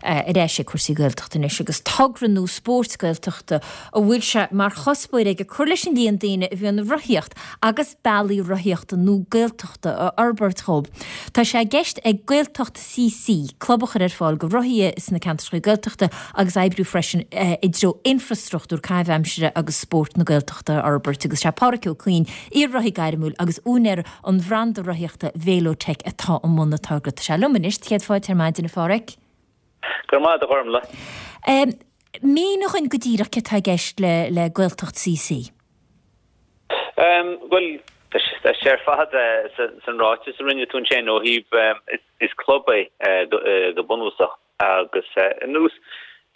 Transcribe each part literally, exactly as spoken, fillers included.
Ar ais ag cúrsaí Gaeltachta anois agus togra nua spóirt Gaeltachta a bhfuil sé mar chuspóir aige cur leis an líon daoine a bhíonn ag rothaíocht agus bealaí rothaíochta nua Gaeltachta a fhorbairt dhóibh. Tá sé i gceist ag Gaeltacht C C club a chur ar fáil go rothaithe sna ceantracha Gaeltachta agus oibriú freisin i dtreo infrastruchtúr caitheamh aimsire agus spóirt na Gaeltachta a fhorbairt agus sé Páraic Ó Cuinn, iar-rothaí gairmiúil agus úinéir an bhranda rothaíochta Velotech atá i mbun an togra. Tá sé liom anois, céad fáilte ar maidin a Pháraic. Go maith a Ghormfhlaith. Um, Mínigh dúinn go díreach cad atá i gceist le le Gaeltacht C C. Um, well tá sé ar fad san ráiteas a rinne tú ansin ó thaobh is club é go bunúsach agus ar nós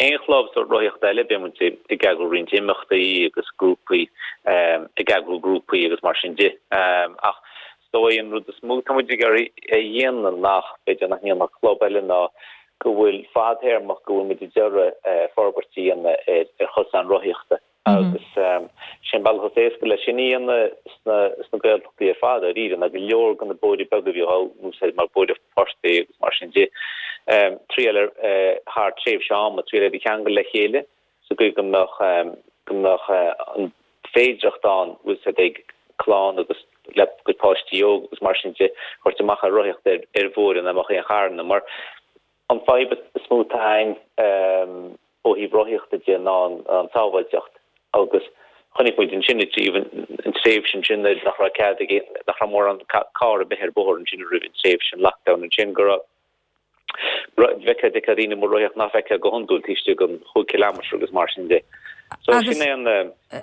aon chlub sa rothaíocht eile bíonn muid ag eagrú roinnt imeachtaí agus grúpaí ag eagrú grúpaí agus mar sin de ach so é an rud is mó tá muid ag iarraidh a dhéanamh nach b'fhéidir nach ndéanann club eile ná go bhfuil fadtéarmach go bhfuil muid ag iarraidh forbairt a dhéanamh ar chosáin rothaíochta agus sin bealach is éasca leis sin a dhéanamh sna sna Gaeltachtaí ar fad ar na go leor de na bóithre beaga bhí á n-úsáid mar bóithre portaigh agus mar sin de triail ar thar tréimhse ama triail iad a cheangal le chéile sa gcaoi go mbeadh go mbeadh an féidireacht ann úsáid ag clann agus le go páistí óg agus mar sin de thabhairt amach ar rothaíocht ar ar bhóithre nach mbeadh aon charranna mar an fadhb is mó atá ann ó thaobh rothaíochta de ná an tsábháilteacht agus chonaic muid ansin an tréimhse sin nach raibh cead nach raibh mórán carr ar bith ar bóthar ansin roimh an tréimhse an lockdown ansin go raibh bhfeicfeá daoine ag rothaíocht nach bhfeicfeá go hiondúil taobh istigh den chúig kilometre agus mar sin de. So sin é an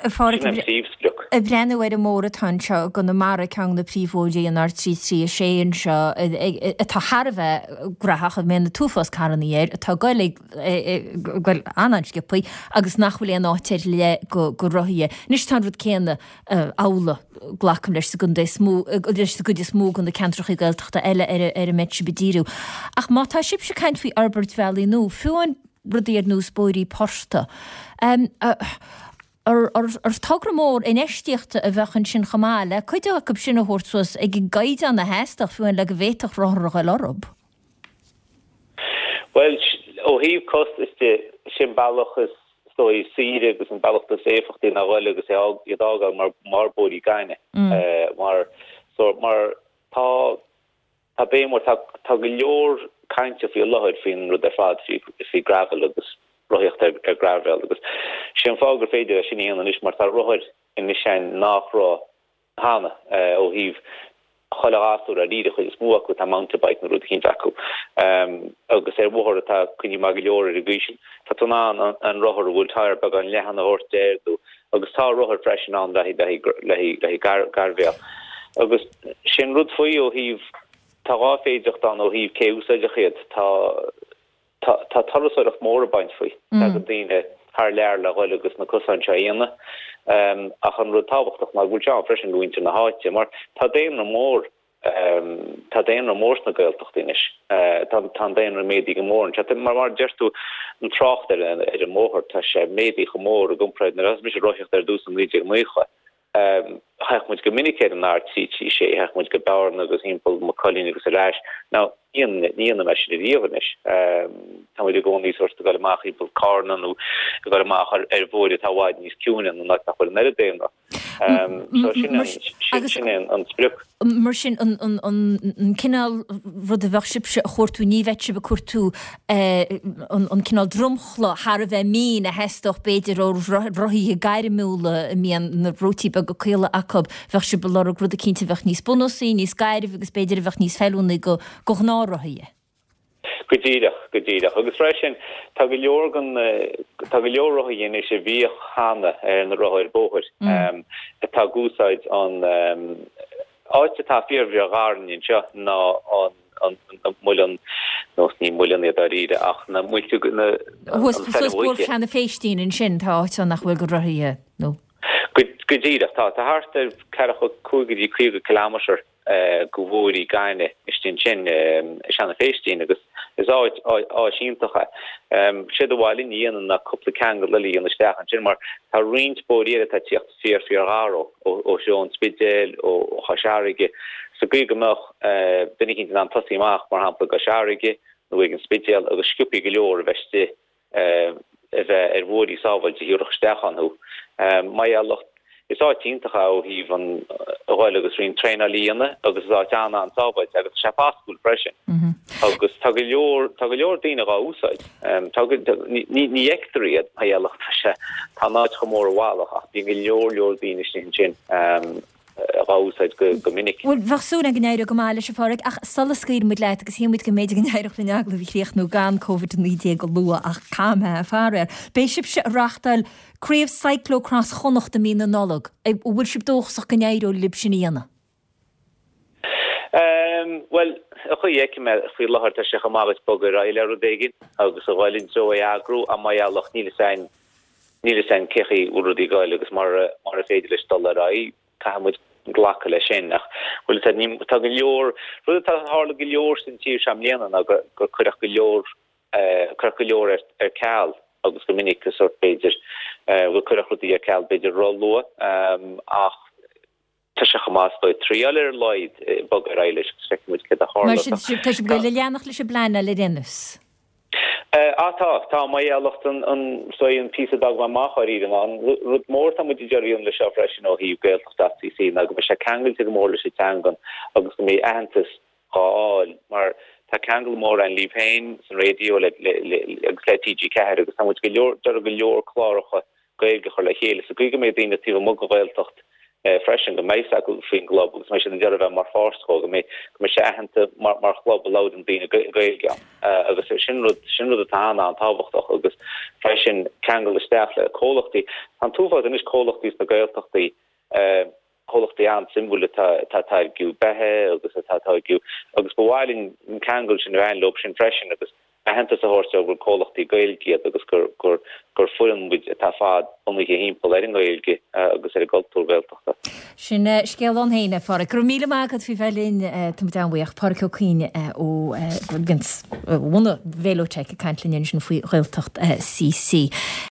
príomhsprioc. Ag breathnú ar an mbóthar atá anseo i gConamara ceann de na príomhbhóithre an R trí trí a sé anseo atá thar a bheith gnóthach a mbíonn an t-uafás carranna air atá ag goil goil an-an-sciobtha agus nach bhfuil aon áit ar leith go go rothaithe. Anois tá an rud céanna amhlaidh glacaim leis sa gcontae is mó leis sa gcuid is mó de na ceantracha Gaeltachta eile ar ar a mbeidh sibh ag díriú. Ach má tá sibhse ag caint faoi fhorbairt bhealaí nua fiú an rudaí ar nós bóithrí portaigh. Um, uh, ar, ar, ar togra mór infheistíochta a bheadh ansin chomh maith le cuid acu sin a thabhairt suas ag an gcaighdeán a theastódh fiú le go bhféadfadh rothar a ghoil orthu. Well ó thaobh costas de sin bealach is dóigh saoire agus an bealach is éifeachtaí ná dul agus é iad fhágáil mar mar bóithrí gainimh mm. uh, mar so mar tá tá bé mar tá tá go leor cainte faoi láthair faoin rud ar fad faoi faoi gravel agus rothaíocht ar, ar gravel agus sé an fáth gur féidir sin a dhéanamh anois mar tá rothair anois ann nach raibh cheana uh, ó thaobh chuile ghasúr ar líre chuid is mó acu tá mountain bike nó rud éicint acu um, agus ar bhóthar atá coinnithe maith go leor ar an gcaoi sin tá tú in ann an, an rothar a bhfuil tyre beagán leathan a thabhairt air agus tá rothar freisin ann le le le le gar gairbhéal agus sin rud faoi ó thaobh tá dhá féidireacht ann ó thaobh cé úsáideach iad tá tá tá turasóireacht mór ag baint faoi mm. go daoine thar lear le dhul agus na cosáin seo a dhéanamh um, ach an rud tábhachtach ná go bhfuil sé freisin go mhuintir na háite mar tá daonra mór um, tá daonra mór sna Gaeltachtaí anois uh, tá tá daonra méadaithe go mór an mar mar deir tú an trácht ar ar an mbóthar tá sé méadaithe go mór i gcomparáid nuair a bhí ag rothaíocht ar dtús an naoi déag nócha. Um, Théadh muid go minic ar an R trí trí sé théadh muid go Bearna agus timpeall Maigh Cuilinn agus ar ais ná ní dhéanaim é sin riamh anois. Um, tá muid i gcónaí sort ag dul amach timpeall Carna nó ag dul amach ar ar bhóithre atá i bhfad níos ciúine nó nach bhfuil an oiread daonra. Um, so sin an sin an an sprioc. Mar sin an an an an cineál rud a bheadh sibhse a chuartú ní bheadh sibh ag cuartú an an cineál dromchla thar a bheith mín a theastódh b'fhéidir ó rothaithe gairmiúla a mbíonn na rótaí beaga caola acu bheadh sibh ag lorg rud éicint a bheadh níos bunúsaí, níos gairbhe agus b'fhéidir a bheadh níos feiliúnaí go go gnáthrothaithe. Go díreach go díreach agus freisin tá go leor den tá go leor rothaithe anois a bhíodh cheana ar na rothair bóthair um, atá ag úsáid an um, áit atá fíor ghar anseo ná an an an muileann nó ní muileann iad dáiríre ach na muilte na Bóthar na Féistín ansin tá áit nach bhfuil go rothaithe nó. Go go díreach tá tá thart ar ceathracha cúig go dtí caoga kilometer go bhóithrí gainimh istigh ansin Seanadh Féistín agus is áit áit iontach é. Sé do bhaile ní dhéanann na cúpla ceangal eile a dhéanamh isteach ansin mar tá roinnt bóithrí eile atá ag tíocht fíor fíor ghar ó ó seo an Spidéal ó ó Chois Fharraige sa gcaoi go mbeadh duine éicint in ann tosaí amach mar shampla go Cois Fharraige nó ag an Spidéal agus sciobthaí go leor a bheith istigh a bheith ar bhuailí sábháilte a thiúrfadh isteach ann thú. Mar gheall is áit iontach é ó thaobh an a ghoil agus roinnt traenáil a dhéanamh agus is áit an-an-sábháilte agus tá sé fásúil freisin. Agus tá go leor tá go leor daoine dhá úsáid. Tá ní ní fheictear iad mar gheall tá sé tá an áit chomh mór i bhfalach ach bíonn go leor leor daoine istigh ansin. dhá úsáid go minic. Bhuel, bheadh súil againn go n-éireodh go maith leis, a Pháraic, ach sula scaoilfidh muid leat, agus shíl muid go mb'fhéidir go n-éireodh linn agallamh a chríochnú gan Covid a naoi déag a lua, ach caithfidh mé, faraor. Beidh sibhse ag reáchtáil Craobh Cyclocross Chonnacht i mí na Nollag. An bhfuil sibh dóchasach go n-éireoidh libh sin a dhéanamh? Bhuel, an chaoi a bhfeicim é faoi láthair tá sé chomh maith duit bogadh ar aghaidh le rud éigin agus a ghoil i dtreo é a eagrú, ach mar gheall níl fhios a'inn níl fhios a'inn cé chaoi a bhfuil rudaí ag goil agus mura mura féidir leis dul ar aghaidh. Caithfidh muid glacadh leis sin. Ach bhfuil fhios a'd, ní, tá go leor, rud atá tharla go leor san tír seo i mbliana ná gur, gur cuireadh go leor, eh, cuireadh go leor ar, ar ceal agus go minic go sórt b'fhéidir, eh, bhuel cuireadh rudaí ar ceal b'fhéidir ró-luath, ehm, ach tá sé chomh maith is dóigh triáil ar a laghad, eh, bogadh ar aghaidh leis agus feicfidh muid céard a Mar sin, tá sibh ag goil a leanacht leis an bpleanáil ar aon nós. Á tá, tá, mar gheall an, an, so an píosa a d'fhág mé amach dháiríre ná an rud mór atá muid ag iarraidh a dhéanamh leis seo freisin ó thaobh Gaeltacht dot CC ná go mbeidh sé ceangailte go mór leis an teangan agus go mbeidh aitheantas dhá fháil mar tá ceangal mór ann libh féin san raidió le, le, le, agus le T G ceathair agus tá muid go leor, d'iarraidh go leor cláracha Gaeilge a chur le chéile sa gcaoi go mbeidh daoine taobh amuigh den Ghaeltacht freisin, go mbeidh fhios acu faoin gclub agus go mbeidh siad ag iarraidh a bheith mar pháirt dhó, go mbeidh go mbeidh sé aitheanta mar mar chlub a labhrann daoine Gaeilge ann. Agus sin rud sin rud atá an-an-tábhachtach agus freisin ceangal isteach le comhlachtaí. Tá an t-uafás anois comhlachtaí sna Gaeltachtaí, comhlachtaí an-suimiúil atá atá ag táirgiú beithe agus atá ag táirgiú agus ba mhaith linn an ceangal sin a bheith leo sin freisin agus aitheantas a thabhairt dóibh gur comhlachtaí Gaeilge iad agus gur gur gur foireann muid atá fad bunaithe thimpeall ar an nGaeilge agus ar an gcultúr Gaeltachta. Sin scéal ann féin, a Pháraic. Go raibh míle maith agat faoi bheith linn. Tá muid an-bhuíoch. Páraic Ó Cuinn ó bhunadh Velotech ag caint linn ansin faoi Ghaeltacht C C.